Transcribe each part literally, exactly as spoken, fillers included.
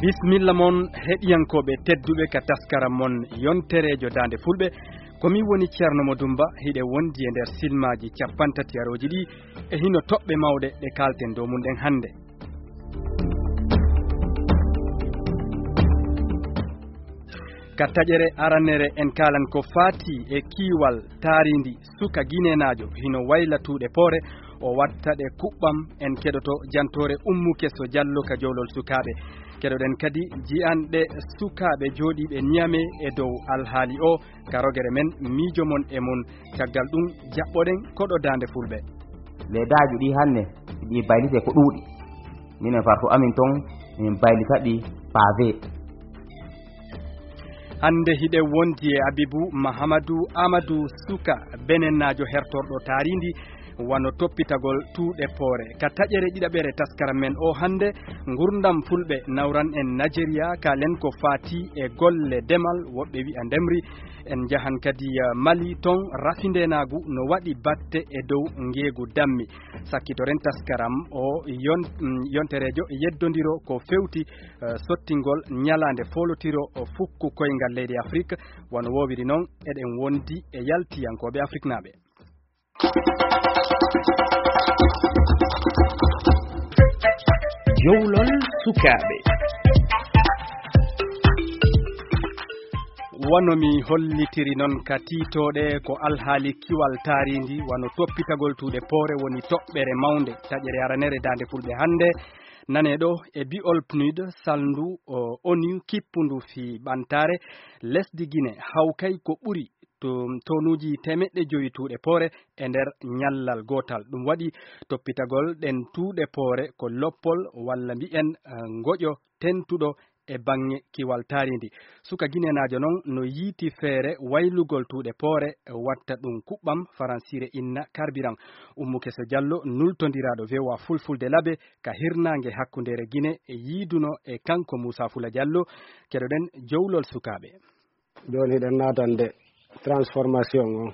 Bismilla mon, heɗiyankooɓe tedduɓe, ka taskaram mon yontereejo Daande Fulɓe. Ko min woni Ceerno Mo Dumba, hiɗe wondi e nder silmaaji capanɗe tati arooji ɗi, e hino toɓɓe mawɗe ɗe kaalten dow mum ɗen hannde. Ka taƴere aranere, en kaalan ko faati e kiiwal taarindi suka ginenaajo hino wayla tuuɗe poore, o watta ɗe kuɓɓam. En keɗoto jantoore Ummu Keso Jallo ka jowlol sukaaɓe. Keɗoɗen kadi ji'anɗe sukaaɓe jooɗiiɓe Niamey e dow alhaali o. Ka rogere men, miijo mon e mun. Caggal ɗum, jaɓɓoɗen koɗo Daande Fulɓe. Leedaaji ɗi hannde, ɗi baylite ko ɗuuɗi. Minen fartu amin ton, min baylita ɗi pavé. Hannde hiɗe wondi e Abibu Mahamadou Amadou, suka benennaajo hertorɗo taarindi, wano toppitagol tuuɗe poore. Ka taƴere ɗiɗaɓere taskaram men o hannde, ngurdam Fulɓe nawran en Nigeria, kaalen ko faati e golle demal, woɓɓe wi'a ndemri. En njahan kadi, eh, Mali, ton rafindeenaagu no waɗi batte e dow ngeegu dammi. Sakkitoren taskaram o yon-, mm, yontereejo yeddondiro ko fewti, eh, sottingol ñalaande foolotiro o fukku koyngal leydi Afrik. Wano woowiri non, eɗen wondi e yaltiyankooɓe afriknaaɓe. Jowlol sukaaɓe. Wano mi hollitiri non ka tiitooɗe, ko alhaali kiwal taarindi, wano toppitagol tuuɗe poore woni toɓɓere mawnde. Taƴere aranere Daande Fulɓe hannde, nanee ɗo e bi'ol pnud, salndu o ONU kippundu fii ɓantaare lesdi Gine, hawkay ko ɓuri to, tonuuji teemeɗɗe jowi tuuɗe poore e nder ñallal gootal. Ɗum waɗi toppitagol ɗen tuuɗe poore ko loppol walla mbi'en, eh, ngoƴo tentuɗo e baŋŋe kiwal taarindi. Suka ginenaajo non no yiiti feere waylugol tuuɗe poore, watta ɗum kuɓɓam, faransiire inna carburant. Ummu Keso Jallo, nultondiraaɗo V O A Fulfulde Labe ka hirnaange hakkundeere Gine, e yiiduno e kanko Muusa Fula Jallo. Keɗoɗen jowlol sukaaɓe. Jooni hiɗen naatande transformation on.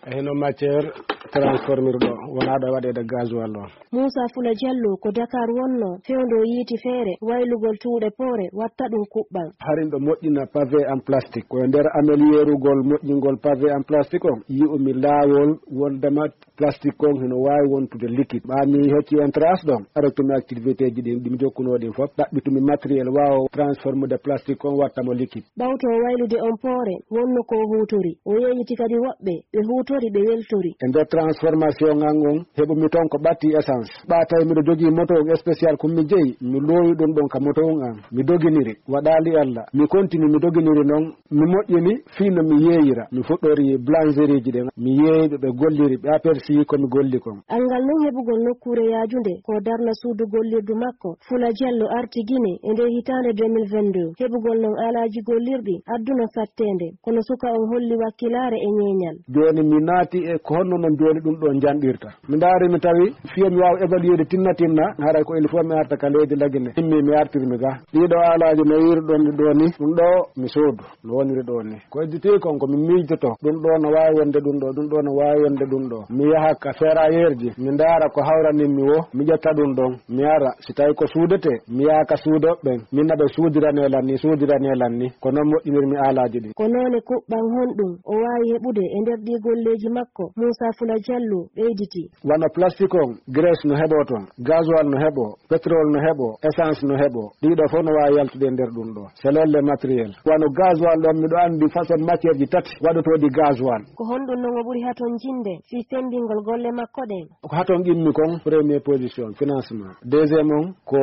E hino matière transformirɗo wonaaɗo e waɗeede gasoil on. Muusa Fula Jallo ko Dakar wonno, fewndo yiiti feere waylugol tuuɗe poore, watta ɗum kuɓɓam. Harin ɓe moƴƴina pavé en plastique. Ko e nder ameliyerugol moƴƴingol pavé en plastique on, yi'umi laawol wondema plastique on hino waawi wontude liquide. Ɓaa mi hocci on trace ɗon, arotumi activité ji ɗin, ɗi mi jokkunoo ɗin fof, ɗaɓɓitumi matériel waawo transformude plastique on watta mo liquide. Ɓawto waylude on poore, wonno ko o huutori. O yeeyiti kadi woɓɓe, ɓe huutori, ɓe weltori. E nder transformation an on, heɓumi ton ko ɓatti essence. Ɓaa tawi miɗo jogii moto on spécial, ko mi jeyi, mi loowi ɗum ɗon ka moto on an. Mi doginiri, waɗaali Alla. Mi kontini, mi doginiri non, mi moƴƴini fii no mi yeeyira. Mi fuɗɗori boulangerie ji ɗin, mi yeeyi ɓe ɓe golliri, ɓe aperci ko mi golli kon. Anngal non heɓugol nokkuure yaajunde, ko darna suudu gollirdu makko. Fula Jallo arti Gine e nder hitaande deux mille vingt-deux. Heɓugol non aalaaji gollirɗi, adduno satteende. Kono suka on holli wakkilaare e ñeeñal. Jooni mi naati e ko honno non jooni ɗum ɗo njanɗirta. Mi ndaari mi tawi fiyo mi waawa évaluer de tinna tinna, haray ko il faut mi arta ka leydi Lagine. Immi mi artirmi ga. Ɗiɗo aalaaji no yiiruɗon ɗi ɗo ni, ɗum ɗo mi soodu. No woniri ɗo ni. Ko hedditi kon ko mi miijoto. Ɗum ɗo no waawi wonde ɗum ɗo, ɗum ɗo no waawi wonde ɗum ɗo. Mi yaha ka ferrailleur ji, mi ndaara ko hawranin mi wo, mi ƴetta ɗum ɗon, mi ara. Si tawi ko suudete, mi yaha ka suudoɓe ɓen, min na ɓe suudirane lan ni, suudirane lan ni. Ko non moƴƴinirmi aalaaji ɗin. Ko noone kuɓɓan honɗum o waawi heɓude e nder ɗii golleeji makko, Muusa Fula Jallo ɓeyditi. Wano plastique on, graisse no heɓoo ton, gasoil no heɓoo, pétrole no heɓoo, essence no heɓoo. Ɗiɗo fof no waawi yaltude e nder ɗum ɗo. C'est les matériels. Wano gasoil ɗon, miɗo anndi façon matière ji tati waɗotooɗi gasoil. Ko honɗum non o ɓuri haton jinde fii semmbingol golle makko ɗen? Ko haton qimmi kon, première position, financement. Deuxième on, ko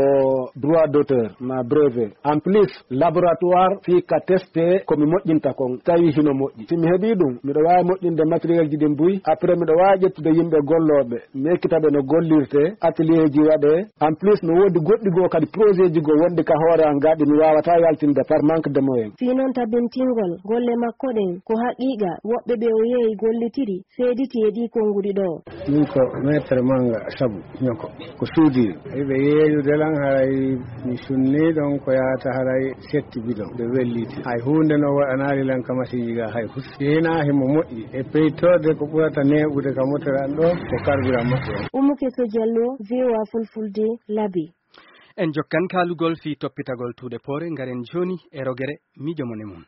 droit d'auteur, ma brevet. En plus, laboratoire fii ka teste ko mi moƴƴinta kon, tawi hino moƴƴi. Si mi heɓii ɗum, miɗo waawi moƴƴinde matériel ji ɗin buy. Après, miɗo waawi ƴettude yimɓe gollooɓe, mi ekkita ɓe no gollirte, atelier ji waɗee. En plus, no woodi goɗɗi goo kadi projet ji goo wonɗi ka hoore an gaa ɗi mi waawataa yaltinde par manque de moyen. Fii non tabintingol golle makko ɗen, ko haqiiqa woɓɓe ɓe o yeeyi gollitiri seediti e ɗii konnguɗi ɗoo. Min ko Maître Manga Sabu Ñoko, ko suudiiɗo. Eɓe yeeyude lan haray mi sunnii ɗon ko yaata haray setti bidon. Ɓe welliti. Hay huunde no waɗanaali lan ka masiiji ga hay hus. Si hinaa himo moƴƴi e peytorde ko ɓurata neeɓude ka motere an ɗo ko carburant maɓɓe on. Ummu Keso Jallo, V O A Fulfulde, Labi. En jokkan kaalugol fii toppitagol tuuɗe poore, ngaren jooni e rogere miijo mon e mum.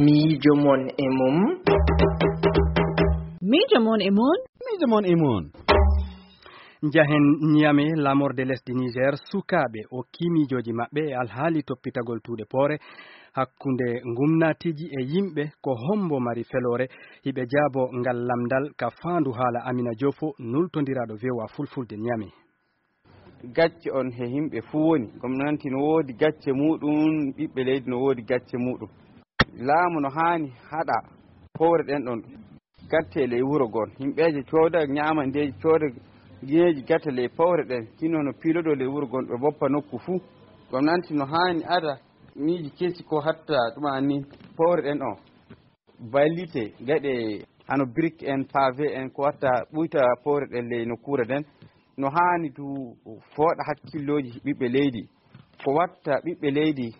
Miijo mon e mum. Miijo mon e mum. Miijo mon e mum. Njahen Niamey, lamorde lesdi Niger, sukaaɓe o kii miijooji maɓɓe e alhaali toppitagol tuuɗe poore hakkunde ngumnaatiiji e yimɓe, ko hombo mari feloore? Hiɓe jaabo ngal lamndal ka faandu haala Amina Joofo, nultondiraaɗo V O A Fulfulde Niamey. Gacce on he yimɓe fuu woni. Gomnanti no woodi gacce muuɗum, ɓiɓɓe leydi no woodi gacce muuɗum. Laamu no haani haɗa powre ɗen ɗon gatte ley wuro gon. Yimɓeeje cooda ñaamandeeji, cooda gineeji gatta ley powre ɗen. Hino no piilodoo ley wuro gon, ɓe boppa nokku fuu. Gomnanti no haani ada miiji kesi ko hatta ɗuma ni powre ɗen on. Ballite gaɗe hano brique en, pavé en, ko watta ɓuyta powre ɗen ley nokkuure ɗen. No haani du fooɗa hakkillooji ɓiɓɓe leydi. Ko watta ɓiɓɓe leydi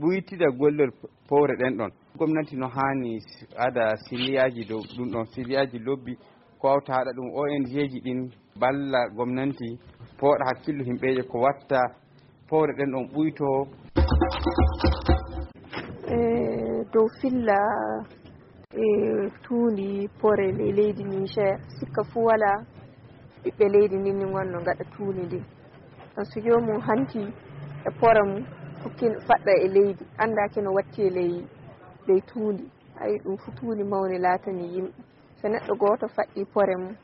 ɓuytida gollol powre ɗen ɗon. Gomnati no haani ada siriyaaji dow ɗum ɗon, siriyaaji lobbi, ko wawta haɗa ɗum. O N G ji ɗin balla gomnanti, pooɗa hakkillu himɓeeje ko watta powre ɗen ɗon ɓuyto. E dow filla e tuundi poore ley leydi Niger, sikka fuu walaa ɓiɓɓe leydi ndin ni wonno ngaɗa tuundi ndin. Ɗon so joomum hanti e poore mum, fukki faɗɗa e leydi, anndaaki no watti e ley, ley tuundi. Ayi, ɗum fuu tuundi mawni laatani yimɓe. So neɗɗo gooto faɗɗi poore mum,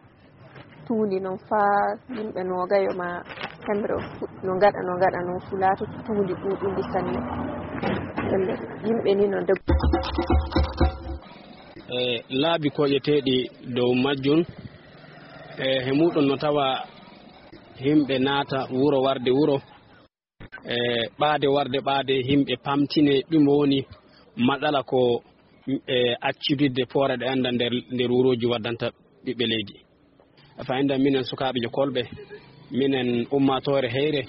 tuundi noon faa yimɓe noogayo maa hemre fuɗ-, no ngaɗa, no ngaɗa noon, fu laatoto tuundi ɗuuɗundi sanne. Nden yimɓe ni no ndoggi. E laabi koƴeteeɗi dow majjum, e he muɗum no tawa yimɓe naata wuro warde wuro, e ɓaade warde ɓaade, yimɓe pamtine ɗum woni matsala ko, e accudidde poore ɗe annda nder, nder wurooji waddanta ɓiɓɓe leydi. Fayda minen sukaaɓe jokolɓe, minen ummaatoore heyre,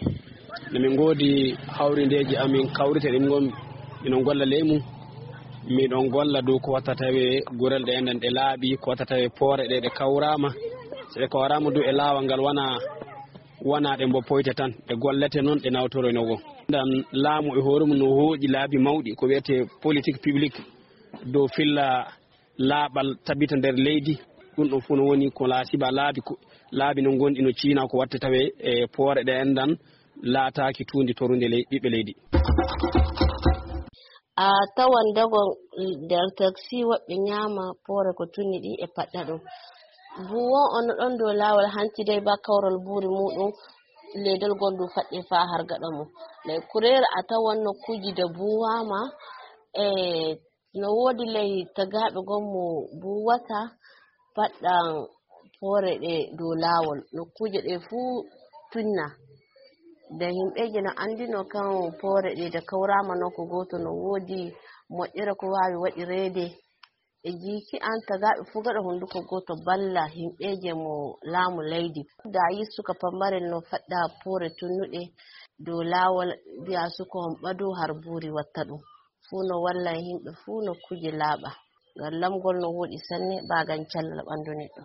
no min ngoodi hawrindeeji amin kawrite ɗin ngon, miɗon golla ley mum. Miɗon golla dow ko watta tawe gurel ɗe enɗen ɗe laaɓi, ko watta tawe poore ɗe ɗe kawraama. So ɗe kawraama dow e laawol ngal wona, wona ɗe mbo poyte tan, ɗe gollete noon, ɗe nawtoroy no woo. Ndan laamu e hoore mum no hooƴi laabi mawɗi, ko wiyetee politique publique dow filla laaɓal tabita nder leydi. Ɗum ɗon fof no woni ko laasiba laabi ko, laabi no ngonɗi no ciina ko watte tawe e poore ɗe enɗan laataaki tuundi torunde ley-, ɓiɓɓe leydi. A tawan dogon nder taksi woɓɓe ñaama poore ko tunni ɗi e paɗɗa ɗum. Buwon on no ɗon dow laawol hanti dey ba kawral buuri muuɗum, leydol gol ndu faɗɗi faa har gaɗa mum. Ley kureere a tawan nokkuuji de buuwaama e No woodi ley tagaaɓe gom mo buuwata paɗɗan poore ɗe dow laawol. Nokkuuje ɗe fuu tunna. Nde yimɓeeje no anndino kan poore ɗe de kawraama nokku gooto no woodi moƴƴere ko waawi waɗireede. E jiiki an tagaaɓe fuu gaɗa hunnduko gooto balla yimɓeeje mo laamu leydi. Da yi suka pammarel no faɗɗa poore tunnuɗe dow laawol mbi'a suka on ɓadu har buuri watta ɗum. Fuu no walla yimɓe fuu nokkuuje laaɓa. Ngam lamgol no wooɗi sanne, baagan cellal ɓanndu neɗɗo.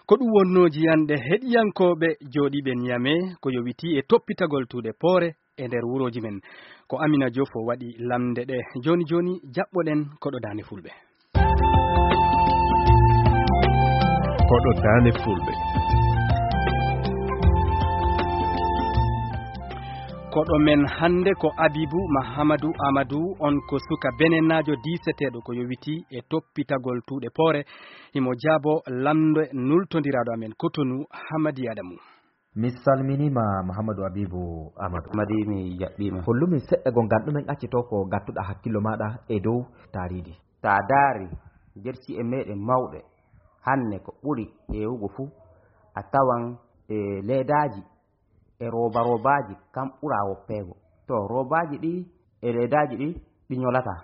Ko ɗum wonnoo jiyanɗe heɗiyankooɓe jooɗiiɓe Niamey ko yowitii e toppitagol tuuɗe poore e nder wurooji men. Ko Amina Joofo waɗi lamnde ɗe. Jooni jooni, jaɓɓoɗen koɗo Daande Fulɓe. Koɗo Daande Fulɓe. Koɗo men hannde ko Abibu Mahamadou Amadou, on ko suka benenaajo diiseteeɗo ko yowitii e toppitagol tuuɗe poore. Himo jaabo lamnde nultondiraaɗo amen Kotonu, Hamadi Adamu. Mi salminiima, Mahamadou Abibu Amadou. Madi, mi jaɓɓiima. Hollumin seɗɗa goo ngal ɗumen accitoo ko ngattuɗaa hakkillo maaɗa e dow taariidi. Taa daari nder ci'e meeɗen mawɗe, hannde ko ɓuri heewugo fuu, a tawan e leedaaji e rooba roobaaji, kam ɓuraa woppeego. To roobaaji ɗi e leedaaji ɗi, ɗi ñolataa.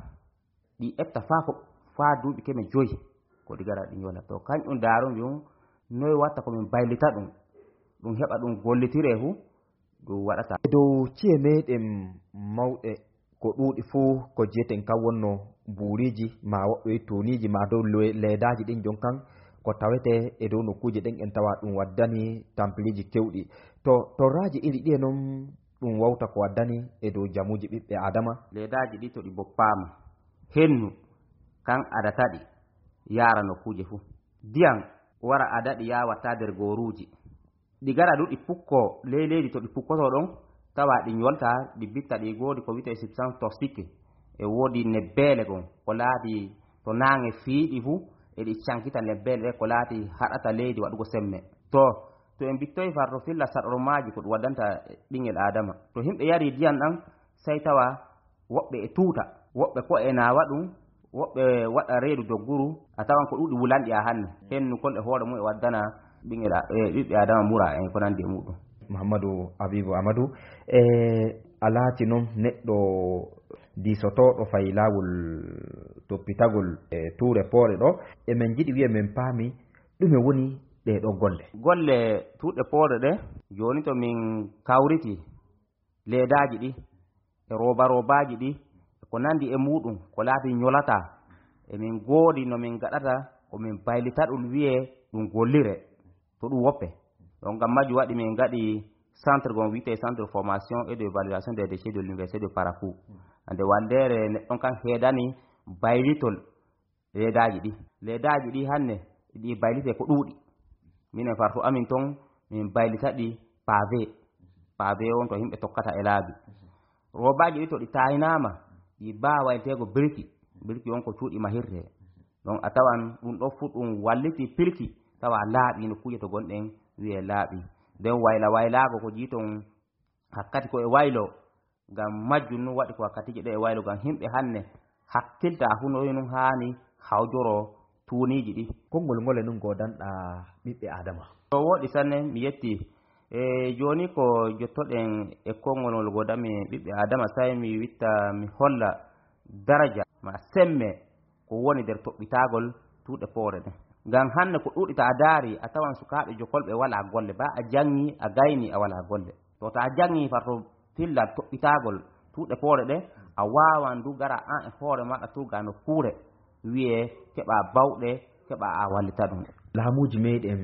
Ɗi etta faa ko, faa duuɓi keme joyi, ko ɗi gara ɗi ñola. To kañum daarumi ɗum, noy watta ko min baylita ɗum, ɗum heɓa ɗum gollitiree fu, ɗum waɗata. E dow ci'e meeɗen mawɗe ko ɗuuɗi fuu ko jiyeten kan wonno buuriiji, maa woɓɓe wi'a tuuniiji, maa dow le-, leedaaji ɗin jon kan, Ko tawetee e dow nokkuuje ɗen en tawa ɗum waddani tampeleeji kewɗi. To torraaji iri ɗiye noon ɗum wawta ko waddani e dow jamuuji ɓiɓɓe Aadama? Leedaaji ɗi to ɗi boppaama, hennu kan adata ɗi yaara nokkuuje fuu. Diyan wara ada ɗi yaawatta nder gooruuji. Ɗi gara du ɗi pukkoo ley leydi to ɗi pukkotoo ɗon, tawa ɗi ñolta, ɗi bitta, ɗi ngoodi ko wiyetee substance toxique. E woodi nebbeele gom, ko laati to naange fiiɗi fuu, e ɗi cankita nebbeele ɗe ko laati haɗata leydi waɗugo semme. To, to en bittoyi far to filla saɗormaaji ko ɗum waddanta ɓinngel Aadama. To yimɓe yari diyan ɗan, sey tawa woɓɓe e tuuta, woɓɓe ko e naawa ɗum, woɓɓe waɗa reedu dogguru, a tawan ko ɗuuɗi wulanɗi a hanne. Hennukol e hoore mum e waddana ɓinngel a-, e ɓiɓɓe Aadama mura en ko nanndi e muɗum. Mouhamadou Habibou Amadou, e a laati noon neɗɗo diisotooɗo fay laawol toppitagol e tuure poore ɗo, e min njiɗi wiye min paami ɗume woni ɗee ɗoo golle? Golle tuuɗe poore ɗe, jooni to min kawriti leedaaji ɗi, e rooba roobaaji ɗi, e ko nanndi e muɗum, ko laati ñolata, e min ngoodi no min ngaɗata, ko min baylita ɗum wiyee ɗum gollire, to ɗum woppe. Donc, ngam majjum waɗi min ngaɗi centre gon wiyetee Centre de Formation et de Valorisation des Déchets de l'Université de Parakou. Hannde wallere neɗɗon kan heedani baylitol leedaaji ɗi. Leedaaji ɗi hanne ɗi baylitee ko ɗuuɗi. Minen fartu amin ton, min baylita ɗi pavé. Pavé on to yimɓe tokkata e laabi. Roobaaji ɗi to ɗi taaynaama, ɗi baa wayteego birki. Birki on ko cuuɗi mahirtee. Donc a tawan ɗum ɗo fuu ɗum walliti pirki, tawa laaɓi nokkuuje to gonɗen wiyee laaɓi. Nden wayla waylaago ko jii ton hakkati ko e waylo. Ngam majjum nun waɗi ko wakkatiije ɗe e waylo, ngam himɓe hanne hakkilta hunoy nun haani hawjoro tuuniiji ɗi. Konngol ngol e nun goodanɗaa ɓiɓɓe Aadama? To wooɗi sanne, mi yetti. E jooni ko jottoɗen e konngol ngol goodanmi ɓiɓɓe Aadama, sey mi witta mi holla daraja ma semme ko woni nder toɓɓitaagol tuuɗe poore ɗen. Ngam hanne ko ɗuuɗi, ta a daari, a tawan sukaaɓe jokolɓe walaa golle, ba a janŋi, a gayni, a walaa golle. To ta a janŋi far to fillal toɓɓitaagol tuuɗe poore ɗe, a waawan du gara an e hoore maaɗa tuuga nokkuure, wiyee keɓa bawɗe, keɓa a wallita ɗum. Laamuuji meeɗen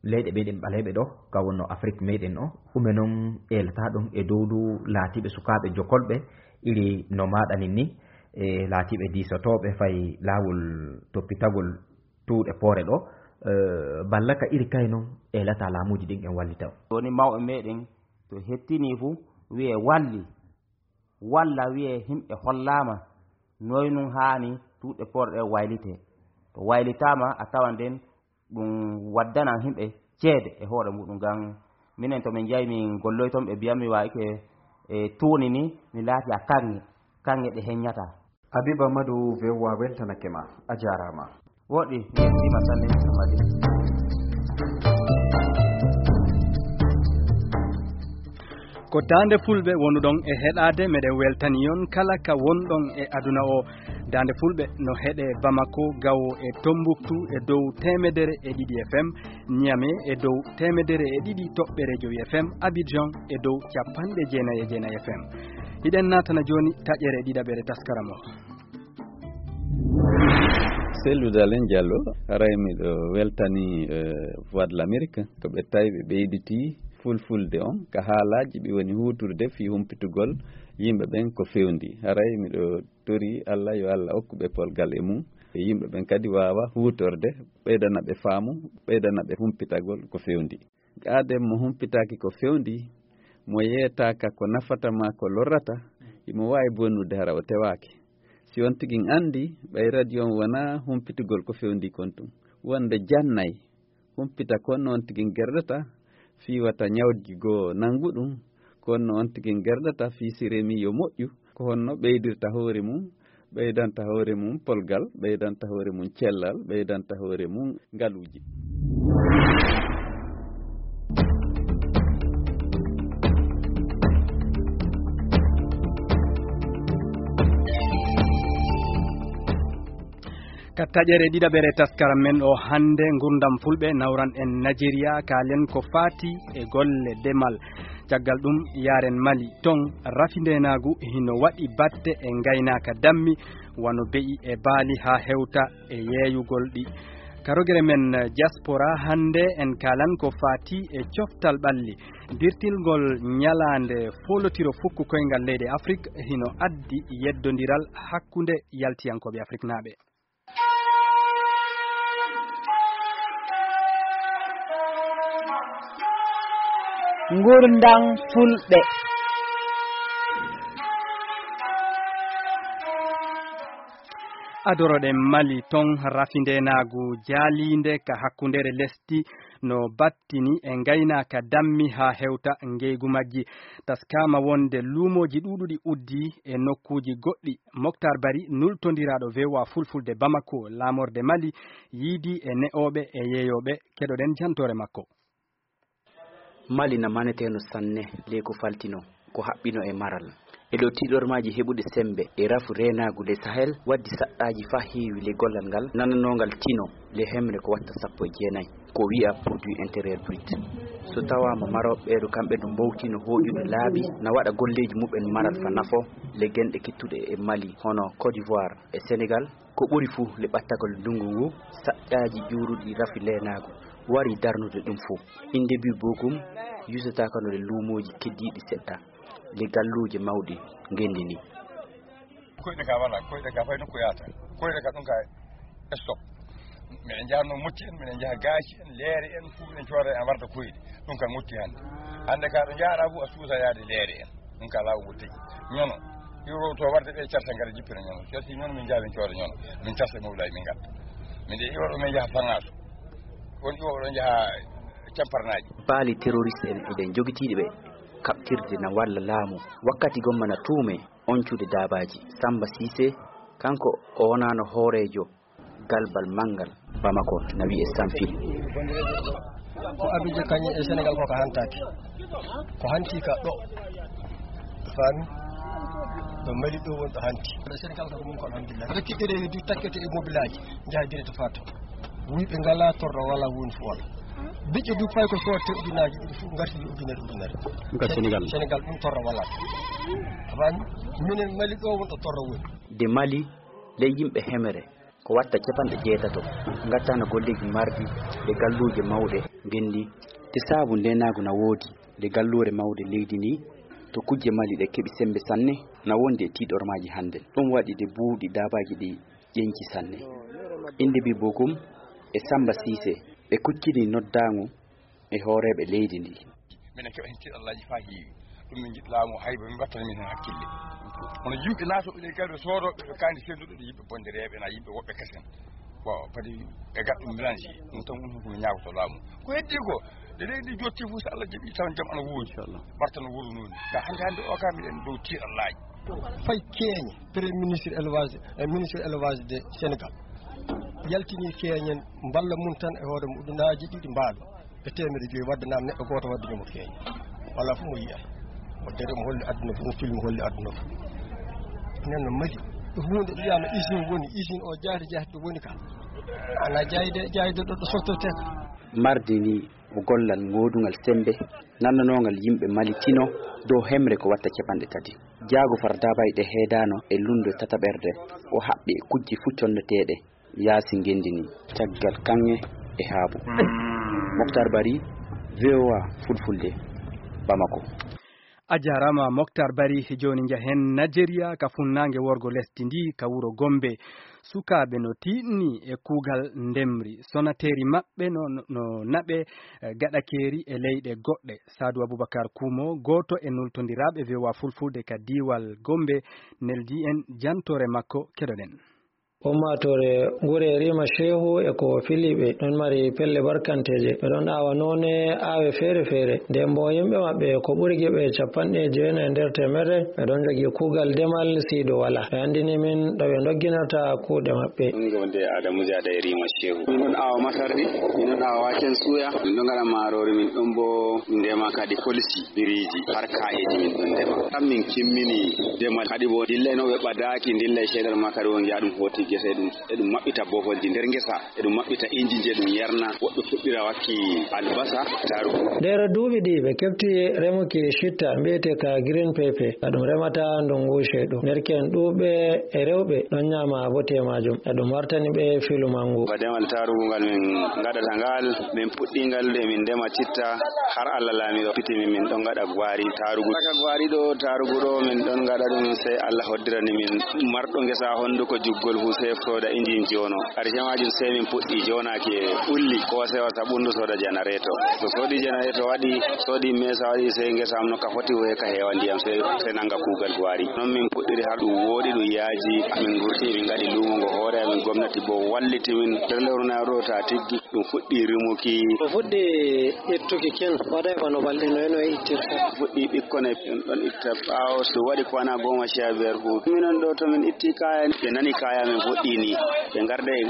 leyɗe meeɗen ɓaleeɓe ɗo, ka wonno Afrik meeɗen o, ɗume non eelata ɗon e dow du laatiiɓe sukaaɓe jokolɓe, iri no maaɗa nin ni, e laatiiɓe diisotooɓe fay laawol toppitagol tuuɗe poore ɗo, eh, balla ka iri kay non eelata laamuuji ɗin en wallita on? Woni mawɓe meeɗen to hettinii fu, wiyee walli, walla wiyee himɓe hollaama noy nun haani tuuɗe poore ɗe waylitee. To waylitaama, a tawan nden ɗum waddanan himɓe ceede e hoore muɗum. Ngam minen to min njahi min golloy ton, ɓe mbiyan mi waayike e tuuni ni, mi laati a kaŋŋe, kaŋŋe ɗe heññata. Habib Amadou, V O A weltanake ma, a jaaraama. Woɗɗi, mi yettiima sanne, Amadi. Ko Daande Fulɓe wonuɗon e heɗaade, meɗen weltani on kala ka wonɗon e aduna o. Daande Fulɓe no heɗe Bamako, Gawo e Tombouctou e dow teemedere e ɗiɗi F M, Niamey e dow teemedere e ɗiɗi toɓɓere jowi F M, Abidjan e dow capanɗe jeenayi e jeenayi F M. Hiɗen naatana jooni taƴere ɗiɗaɓere taskaram o. Sellude Alen Diallo, haray miɗo weltani, eh, Voix de l'Amérique, ko ɓe tawi ɓe ɓeyditi fulfulde on ka haalaaji ɓe woni huuturde fii humpitugol yimɓe ɓen ko fewndi. Haray miɗo tori Allah yo Allah okku ɓe polgal e mum, e yimɓe ɓen kadi waawa huutorde, ɓeydana ɓe faamu, ɓeydana ɓe humpitagol ko fewndi. Aaden mo humpitaaki ko fewndi, mo yeetaaka ko nafata maa ko lorrata, imo waawi bonnude hara o tewaaki. Si on tigi anndi, ɓay radio on wonaa humpitugol ko fewndi kon tun, wonde jannay, humpita kon no on tigi gerdata, fii wata ñawji goo nanngu ɗum, kon no on tigi gerdata, fii si remi yo moƴƴu, ko honno ɓeydirta hoore mum, ɓeydanta hoore mum polgal, ɓeydanta hoore mum cellal, ɓeydanta hoore mum ngaluuji. Ka taƴere ɗiɗaɓere taskaram men o hannde, ngurndam fulɓe, nawran en Najeriya, kaalen ko faati e golle demal. Caggal ɗum, yaaren Mali. Ton, rafi ndeenaagu hino waɗi batte e ngaynaaka dammi, wano be'i e baali, haa hewta e yeeyugol ɗi. Ka rogere men diaspora hannde, en kaalan ko faati e coftal ɓalli. Dirtingol ñalaande foolotiro fukku koyngal leyɗe Afrik hino addi yeddondiral hakkunde yaltiyankooɓe afriknaaɓe. Ngurndan Fulɓe. Adoroɗen Mali, ton rafindeenaagu jaaliinde ka hakkundeere lesdi no battini e ngaynaaka dammi haa hewta ngeygu majji. Taskaama wonde luumooji ɗuuɗuɗi uddii e nokkuuji goɗɗi. Moktar Bari, nultondiraaɗo V O A Fulfulde Bamako, laamorde Mali, yiidii e ne'ooɓe e yeeyooɓe. Keɗoɗen jantoore makko. Mali na maneteeno sanne ley ko faltino ko haɓɓino e maral. E dow tiiɗormaaji heɓude semmbe e rafu reenaagu ley Sahel, waddi saɗɗaaji faa heewi ley gollal ngal nananoongal tino ley hemre ko watta sappo e jeenay ko wi'a produit intérieur brut. So tawaama marooɓe ɓeeɗo kamɓe no mbowti no hooƴude laabi na waɗa golleeji muɓɓen maral fa nafo ley genɗe kittuɗe e Mali hono Côte d'Ivoire e Sénégal. Ko ɓuri fuu le ɓattagol ndunngu ngu, saƴƴaaji ƴuuruɗi rafi leenaagu warii darnude ɗum fuu. Innde bi bokum yusataakano le luumooji keddiiɗi seɗɗa le galluuje mawɗi ngenndi nii. Koyɗe ka wala, koyɗe ka fay nokku yaata. Koyɗe ka ɗum ka stop. Miɗen njaha no motti en, miɗen njaha gaaci en, leere en, fuu miɗen cooda en warta koyɗe. Ɗum kan motti hannde. Hannde ka ɗo njaaɗa fuu a suusa yaade leere en. Ɗum ka laawo ngo tigi. Ñono. Iwo to warde ɓe carta ngara jippira ñono. Carti ñono min njaha min cooda ñono. Min carta mawlay min ngadda. Min de iwo ɗo min njaha fangaso. Won iwo ɗo njaha camparnaaji. Baali terroriste en eɗen jogitiiɗi ɓe kaɓtirde na walla laamu. Wakkati gomma na tuume oncude daabaaji. Samba Sise, kanko o wonaano hooreejo galbal manngal Bamako na wi'e Sanfil. Ko Abidjan kañum e Sénégal ko ka hantaaki. Ko hanti ka ɗo. Faami? Ɗo Mali ɗo woni ɗo hanti. Ɗo Sénégal ko ɗum ko alhamdulillah. Reki ɗeɗe du takkete e mobilaaji. Njaha direct fato. Wuyɓe ngala torro wala woni fo wala. Biƴƴe du pay ko so tewɗinaaji ɗiɗi fof ngarti ujunere ujunere. Ɗum ka Sénégal. Sénégal ɗum torro wala. A faami? Minen Mali ɗo won ɗo torro woni. De Mali ley yimɓe hemere ko watta capanɗe jeetato ngattaano golleeji marɗi e galluuje mawɗe ngenndi. Te saabu ndeenaagu na woodi nde galluure mawde leydi ndi to kujje Mali ɗe keɓi semmbe sanne na wondi e tiiɗormaaji hannden. Ɗum waɗi nde buuɗi daabaaji ɗi ƴenci sanne. Innde bi bokum e Samba Siise ɓe kuccini noddaangu e hooreeɓe leydi ndi. Minen keɓa heen tiiɗallaaji faa heewi. Ɗum min njiɗ laamu hay ba min mbattana min heen hakkille. Kono yimɓe naatooɓe ley galɓe soodooɓe ɓe kaandi sennduɗo ɗe yimɓe bondereeɓe na yimɓe woɓɓe kasen. Bon, kadi e gat ɗum mélange ɗum tan woni ko mi ñaagoto laamu. Ko heddii ko nde leydi ndi jotti fof so Allah jaɓi taw jam ana woodi. Barta no wuro nooni ka hannde hannde o ka miɗen dow tiiɗallaaji. Fay keeñe premier ministre élevage e ministre élevage de Sénégal yaltini keeñen mballa mum tan e hoore mum ujunaaji ɗiɗi mbaalo e teemedde joyi wadde naam neɗɗo gooto wadde ñomo keeñe wala fof mo yiyata o dere mo holli aduna fof mo filmi holli aduna fof nen no mali ɗo hunde wiyama usine woni usine o jaati jaati ɗo woni ka ana jayde jayde ɗo ɗo sottote ka. Mardi ni o gollal ngoodungal semmbe nannanoongal yimɓe Mali tino dow hemre ko watta capanɗe tati. Jaago far daabayɗe heedaano e lunndu e tataɓerde o haɓɓi e kujje fuu conneteeɗe yaasi ngenndi nii caggal kaŋŋe e haabu. Moktar Bari, V O A Fulfulde, Bamako. A jaaraama Moktar Bari. Jooni njahen Najeriya ka funnaange worgo lesdi ndi ka wuro Gombe. Sukaaɓe no tiiɗni e kuugal ndemri. Sonateeri maɓɓe no, no naɓe gaɗakeeri e leyɗe goɗɗe. Saadu Abubakar Kumo, gooto e nultondiraaɓe V O A Fulfulde ka diiwal Gombe, neldii en jantoore makko. Keɗoɗen. Ummaatoore gure Rima Shehu e ko filiiɓe ɗon mari pelle barkanteeje. Ɓe ɗon aawa noone aawe feere feere. Nden boo yimɓe maɓɓe ko ɓuri geɓe capanɗe jeenayi nder teemerre ɓe ɗon njogii kuugal demal siido walaa. Ɓe anndini min ɗo ɓe ndogginirta kuuɗe maɓɓe. Ɗum ɗo nde Adamu Jaada e Rima Shehu. Min ɗon aawa masardi, min ɗon aawa waken suya, min ɗon ngaɗa maaroori, min ɗon boo ndema kadi kolisi, biriiji, har kaa'eeji min ɗon ndema. Tan min kimmini demal kadi boo dilla no ɓe ɓadaaki dilla e ceedal ma kadi won ngi'a ɗum hooti. Ngesa eɗum, eɗum maɓɓita boholji nder ngesa, eɗum maɓɓita injinji, eɗum yarna. Woɗɓe fuɗɗira wakki albasa, tarugu. Nder duuɓi ɗi ɓe keɓti remuki citta mbiyete ka green pepper, ka ɗum remata ndungu ceeɗu. Nderken ɗuuɓɓe e rewɓe ɗon nyaama bote maajum. Eɗum wartani ɓe filu mangu. Ba demal tarugu ngal min ngaɗata ngal, min puɗɗi ngal de min ndema citta har Allah laamiɗo hokkiti min, min ɗon ngaɗa gwari tarugu. Saka gwari ɗo, tarugu ɗo, min ɗon ngaɗa ɗum sey Allah hoddirani min. Marɗo ngesa honduko juggol fu sey sooda injin jono. Karshe maajum sey min puɗɗi jonaki e ɓulli, ko sewa sabundu sooda janareto. To soodi janareto waɗi, soodi mesa waɗi, sey ngesa am no ka foti woye ka heewa ndiyam, sey, sey nanga kuugal gwari. Non min puɗɗiri har ɗum wooɗi, ɗum yaaji. Min ngurti, min ngaɗi luumo ngo hoore amin, gomnati bo walliti min. Nder lewru nayo ɗo ta tiggi, ɗum fuɗɗi rimuki. Ko fuɗɗi ittuki ken, waɗay bano balɗe noye noye ittirta? Fuɗɗi ɓikkon e ɗon itta ɓaawo, so waɗi kwana goma sha biyar fu. Minon ɗo to min itti kaya, ɓe nani kaya min fuɗɗi ni. Ɓe ngarda e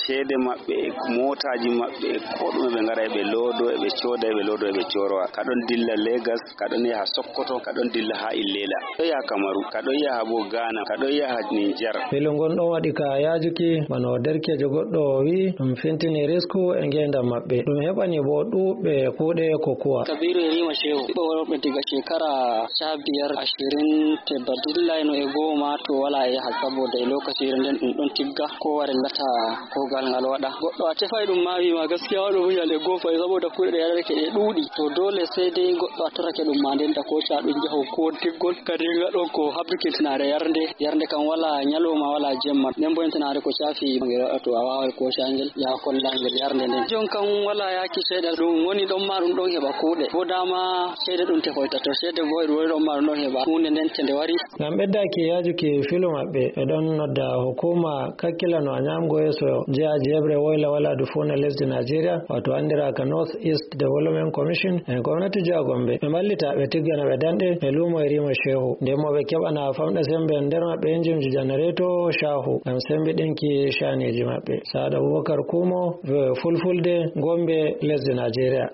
ceede maɓɓe, e mootaaji maɓɓe, e ko ɗume ɓe ngara e ɓe loodo, e ɓe cooda, e ɓe loodo, e ɓe coorowa. Ka ɗon dilla Legas, ka ɗon yaha Sokoto, ka ɗon dilla haa Illela. Ɗo yaha Kamaru, ka ɗon yaha bo Ghana, ka ɗon yaha Niger. Filu ngon ɗon waɗi ka yaajuki, bano derkeejo goɗɗo o wi'i, ɗum fintini risku e ngeendam maɓɓe. Ɗum heɓani bo ɗuuɓɓe kuuɗe kokuwa. Kabiru Yerima Shehu, ɓiɓɓe worɓe diga shekara sha biyar, ashirin, te ba dillayno e goma, to wala e yaha, saboda e lokacire nden ɗum ɗon tigga, ko warillata kuugal ngal waɗa. Goɗɗo a tefay ɗum ma wi'ma gaskiya waɗo munyal e gofa, saboda kuuɗe ɗe yaɗata ke ɗe ɗuuɗi. To dole sey dai goɗɗo a torake ɗum ma nden ta ko sha ɗum jaho ko tiggol. Kadi nga ɗon ko habdukintinare yarde. Yarde kam wala nyaloma, wala jemma. Nden bo entinare ko shafi ngel waɗa to a wawai ko sha ngel, ya kolla ngel yarde nden. Jon kam wala yaki seeɗa ɗum woni ɗon ma ɗum ɗon heɓa kuuɗe. Bo dama ceede ɗum tefoyta. To ceede bo e ɗum woni ɗon ma ɗum ɗon heɓa huunde nden te nde wari. Ngam ɓeddaaki yaajuki filu maɓɓe, ɓe ɗon nodda hukuma kakkilano a nyaamgo yeeso jeyaaji heɓre woyla waladu fuu nder lesdi Najeriya, wato anndiraaka North East Development Commission, e gomnati jiha Gombe. Ɓe mballita, ɓe tiggana ɓe danɗe e luumo e rima shehu. Nden mo ɓe keɓana famɗa sembe nder maɓɓe injinji janareto shahu ngam sembiɗinki shaniiji maɓɓe. Saad Abubakar Kumo, V O A Fulfulde, Gombe, lesdi Najeriya.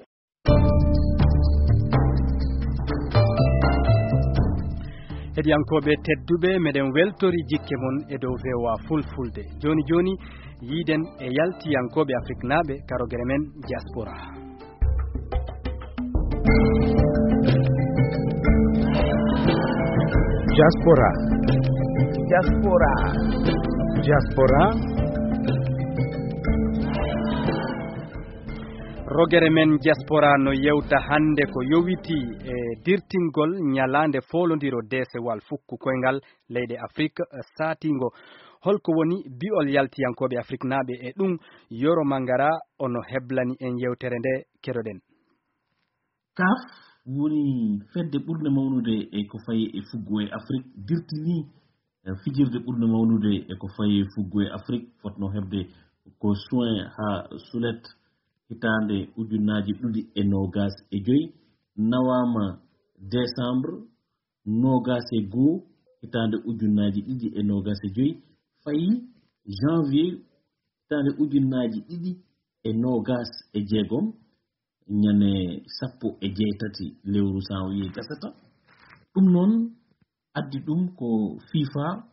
Heɗiyankooɓe tedduɓe, meɗen weltori jikke mon e dow V O A Fulfulde. Jooni jooni, yiiden e yaltiyankooɓe Afriknaaɓe ka rogere men Diaspora. Diaspora. Diaspora. Diaspora. Rogere men Diaspora no yewta hannde ko yowitii e dirtingol ñalaande foolondiro deesewal fukku koyngal leyɗe Afrik saatiingo. Holko woni bi'ol yaltiyankooɓe Afriknaaɓe e ɗum? Yoro Mangara ono heblani en yewtere nde, keɗoɗen. CAF woni fedde ɓurde mawnude e ko fayi e fuggu e Afrik, dirtinii, eh, fijirde ɓurde mawnude e ko fayi e fuggu e Afrik, fotno heɓde ko juin haa sulet hitaande ujunnaaji ɗiɗi e noogas e joy, nawaama décembre noogas e goo hitaande ujunnaaji ɗiɗi e noogas e joy, fayi janvier hitaande ujunnaaji ɗiɗi e noogas e jeegom, ñande sappo e jeetati lewru janvier gasata. Ɗum noon addi ɗum ko FIFA,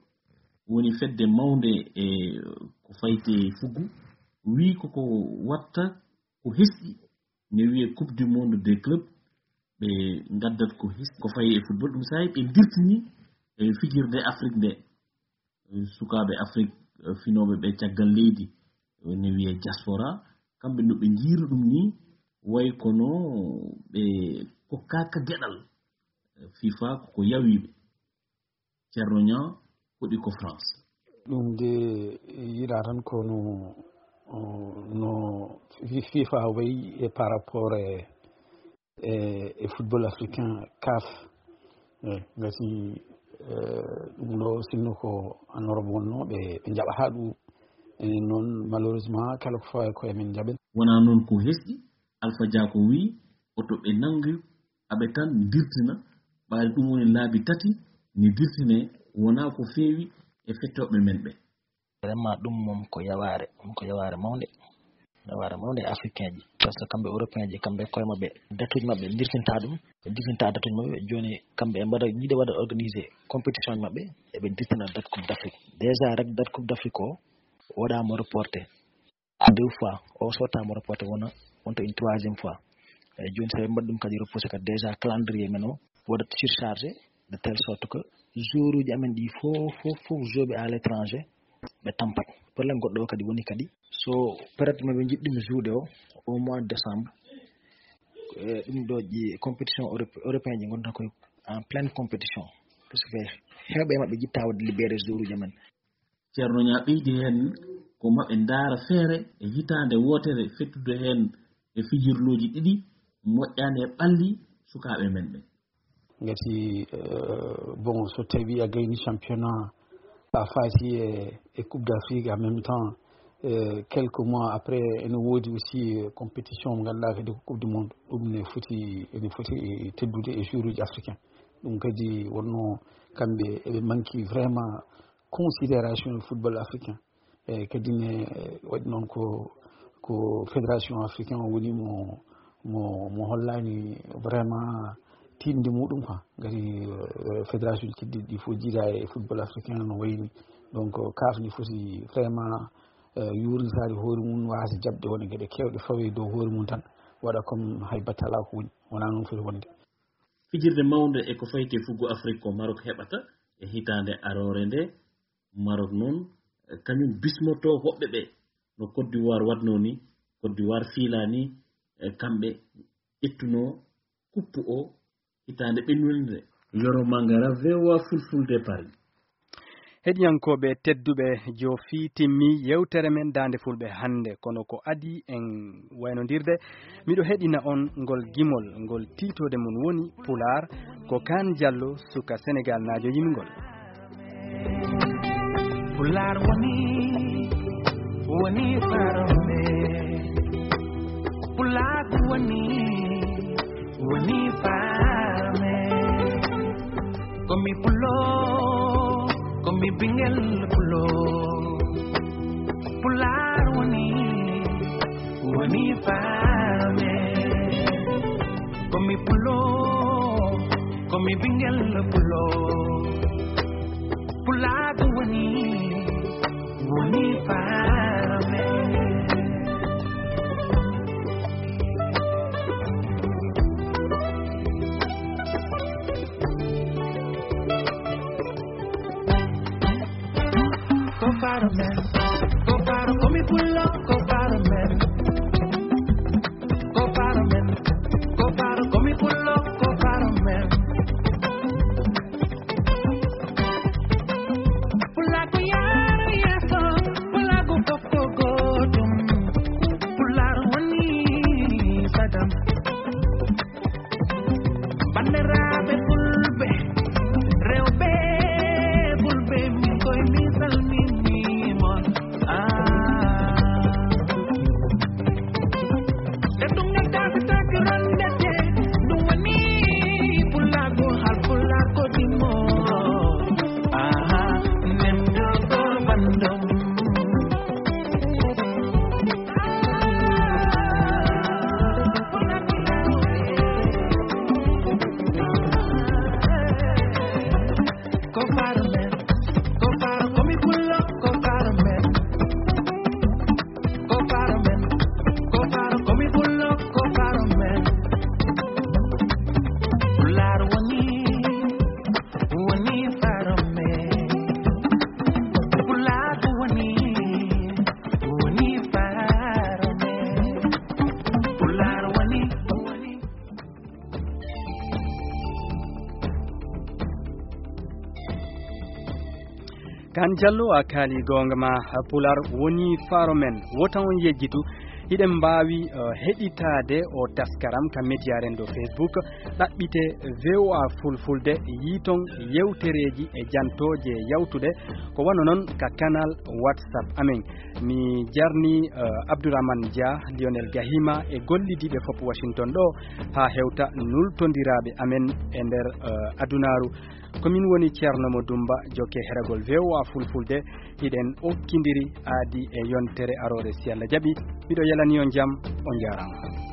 woni fedde mawnde e ko fayti e fuggu, wii koko watta ko hesɗi, ne wiyee Coupe du Monde des clubs, ɓe ngaddat ko hesɗi ko fayi e football. Ɗum saabi ɓe dirtini e fijirde Afrik nde. Sukaaɓe Afrik, eh, finooɓe ɓe caggal leydi, eh, ne wiyee diaspora, kamɓe no ɓe njiiri ɗum ni, way kono ɓe kokkaaka geɗal, eh, FIFA ko ko yawi ɓe. Ceerno Ñaa hoɗi ko France. Ɗum de yiɗa tan ko no, no fi-, FIFA wayi e par rapport e e, e football africain, CAF. E, ngati, e, ɗum ɗo sinno ko en Europe wonnoo, ɓe, ɓe njaɓa haa ɗum. Enen noon, malheureusement, kala ko fawi ko emin njaɓen. Wonaa noon ko hesɗi, Alpha Dia ko wiyi, oto ɓe nanngu aɓe tan ndirtina, ɓaade ɗum woni laabi tati ni dirtine, wonaa ko feewi e fettooɓe men ɓe. Vraiment, ɗum moom ko yawaare, ɗum ko yawaare mawnde, yawaare mawnde e Africain ji. Par ce que kamɓe européen ji, kamɓe koye maɓɓe, datuji maɓɓe dirtinta ɗum, ɓe dirtinta datuji maɓɓe. Jooni kamɓe ɓe mbaɗa, yiɗa waɗa organisé compétition ji maɓɓe, eɓe dirtina date Coupe d'Afrique. Déjà rek date Coupe d'Afrique o waɗaama reporté deux fois, o sottaama reporté, wona wonta une troisième fois. Eyyi, jooni so ɓe mbaɗi ɗum kadi repoussé kadi, déjà calendrier men o waɗat surchargé de telle sorte que jour uji amen ɗi fof, fof, fof, joueɓe à l'étranger ɓe tampat. Problème goɗɗo o kadi woni kadi, so période maɓe njiɗɗimi joude o, au mois de décembre, e ɗum ɗo ƴi compétition europe-, européen ji ngonta koye en pleine compétition, parce que heewɓe e maɓɓe jitta wadde libéré jour uji amen. Ceerno Ñaa ɓeydi heen, ko maɓe ndaara feere e hitaande wootere fettude heen e fijirlooji ɗiɗi moƴƴaani e ɓalli sukaaɓe men ɓe. Ngati, euh, bon, so tawi a gayni championnat, a faati e, e Coupe d'Afrique, en même temps, euh, quelques mois après, ene woodi aussi, euh, compétition mo ngannduɗaa kadi ko Coupe du Monde. Ɗum ne foti, ene foti teddude e joueuruji africain. Ɗum kadi wonno kamɓe eɓe manki vraiment considération e football africain. E kadi ne, e, waɗi noon ko, ko fédération africain o woni mo, mo, mo hollani vraiment tinde muɗum quoi. Ngati, e, fédération keddiɗi ɗi fof jiida e football africain no wayni. Donc, kaf ni foti vraiment, e, yuurnitaade hoore mum, waasa jaɓde won e geɗe keewɗe fawe dow hoore mum tan, waɗa comme hay batte alaa ko woni. Wonaa noon foti wonde. Fijirde mawnde e ko fayti e fuggo Afrik ko Maroc heɓata e hitaande aroore nde. Maroc noon, e, kañum bismotoo hoɓɓe ɓe, no Côte d'Ivoire waɗnoo ni. Côte d'Ivoire fiilaa ni, e, kamɓe ƴettunoo kuppu o hitaande ɓennunde nde. Yoro Mangara, V O A Fulfulde, Paris. Heɗiyankooɓe tedduɓe, joofi timmi yewtere men Daande Fulɓe hannde, kono ko adii en waynondirde, miɗo heɗina on ngol gimol, ngol tiitoode mum woni Pulaar, ko Kaan Jallo, suka Senegaalnaajo yimi ngol. Pulaar woni, woni farme. Pulaar woni, woni farme. Ko mi pulo, ko mi ɓingel pulo. Pulaar woni, woni farme. Ko mi pulo, ko mi ɓingel pulo. Pulaar woni, woni farme. Ko farme, ko faro, ko mi pulo, ko farme. Ko faro men, ko faro, ko mi pulo, ko faro men. Pulaar ko yaaro yeeso, Pulaar ko fof ko gootum. Pulaar woni sagam. Banndiraaɓe Fulɓe, rewɓe Fulɓe, min koye mi salminii mon. Ah. E ɗum ne tafi tafi rondete, ɗum woni Pulaagu, hal Pulaagu ɗimo. Aha, nemdo ko bandum. Ko faro men, ko faro, ko mi pullo, ko faro men. Ko faro men, ko faro, ko mi pullo, ko faro men. Pulaar woni, woni faro men. Pulaar woni, woni faro men. Pulaar woni, woni. Kan Jallo, a kaali goonga ma, Pulaar woni faro men. Wota on yejjitu, hiɗen mbaawi, eh, heɗitaade o taskaram ka média ren ɗo Facebook, ɗaɓɓite V O A Fulfulde, yiiton yewtereeji e jantooje yawtuɗe, ko wano non ka canal WhatsApp amen. Mi jarni, eh, Abdourahmane Dia, Lionel Gahima e gollidiiɓe fof Washington ɗo haa hewta nultondiraaɓe amen e nder, eh, adunaaru. Ko min woni Ceerno Mo Dummba, jokke heragol V O A Fulfulde. Hiɗen okkindiri aadi e yontere aroore, si Allah jaɓi. Miɗo yalani on jam, on njaaraama.